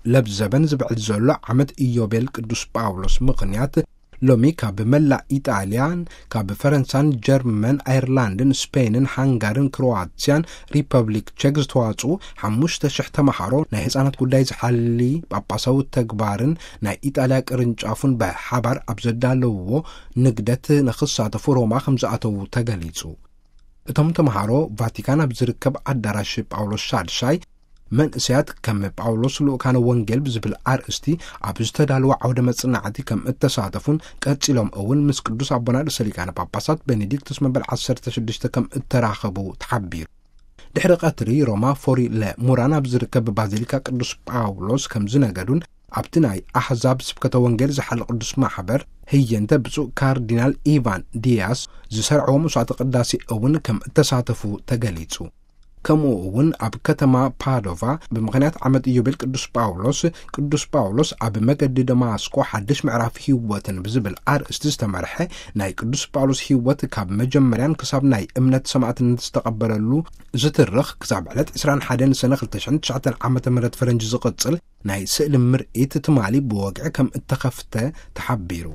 ለብዘበን ዝብዕል ዘሎ ዓመት ኢዮቤል ቅዱስ ጳውሎስ ምኽንያት፣ ሎሚ ካብ መላእ ኢጣልያን፣ ካብ ፈረንሳን፣ ጀርመን፣ ኣየርላንድን፣ ስፔንን፣ ሃንጋርን፣ ክሮዋትስያን፣ ሪፐብሊክ ቼክ ዝተዋጽኡ ሓሙሽተ ሽሕ ተመሃሮ ናይ ህጻናት ጉዳይ ዝሓሊ ጳጳሳዊ ተግባርን ናይ ኢጣልያ ቅርንጫፉን ብሓባር ኣብ ዘዳለውዎ ንግደት ንኽሳተፉ ሮማ ከም ዝኣተዉ ተገሊጹ። እቶም ተመሃሮ ቫቲካን ኣብ ዝርከብ ኣዳራሽ ጳውሎስ ሻድሻይ መንእሰያት ከም ጳውሎስ ልኡካነ ወንጌል ብዝብል ኣርእስቲ ኣብ ዝተዳለወ ዓውደ መጽናዕቲ ከም እተሳተፉን ቀጺሎም እውን ምስ ቅዱስ ኣቦና ርእሰ ሊቃነ ጳጳሳት ቤኔዲክቱስ መበል ዓሰርተ ሽዱሽተ ከም እተራኸቡ ተሓቢሩ። ድሕሪ ቀትሪ ሮማ ፎሪ ለሙራን ኣብ ዝርከብ ባዚሊካ ቅዱስ ጳውሎስ ከም ዝነገዱን ኣብቲ ናይ ኣሕዛብ ስብከተ ወንጌል ዝሓለ ቅዱስ ማሕበር ህየንተ ብፁዕ ካርዲናል ኢቫን ዲያስ ዝሰርዕዎ መስዋዕተ ቅዳሴ እውን ከም እተሳተፉ ተገሊጹ። ከምኡ እውን ኣብ ከተማ ፓዶቫ ብምኽንያት ዓመት ኢዮቤል ቅዱስ ጳውሎስ፣ ቅዱስ ጳውሎስ ኣብ መገዲ ደማስቆ ሓድሽ ምዕራፍ ህይወትን ብዝብል ኣርእስቲ ዝተመርሐ ናይ ቅዱስ ጳውሎስ ህይወት ካብ መጀመርያን ክሳብ ናይ እምነት ሰማዕትነት ዝተቐበለሉ ዝትርኽ ክሳብ ዕለት ዕስራን ሓደን ሰነ ክልተ ሽሕን ትሽዓተን ዓመተ ምህረት ፈረንጂ ዝቕጽል ናይ ስእሊ ምርኢት ትማሊ ብወግዒ ከም እተኸፍተ ተሓቢሩ።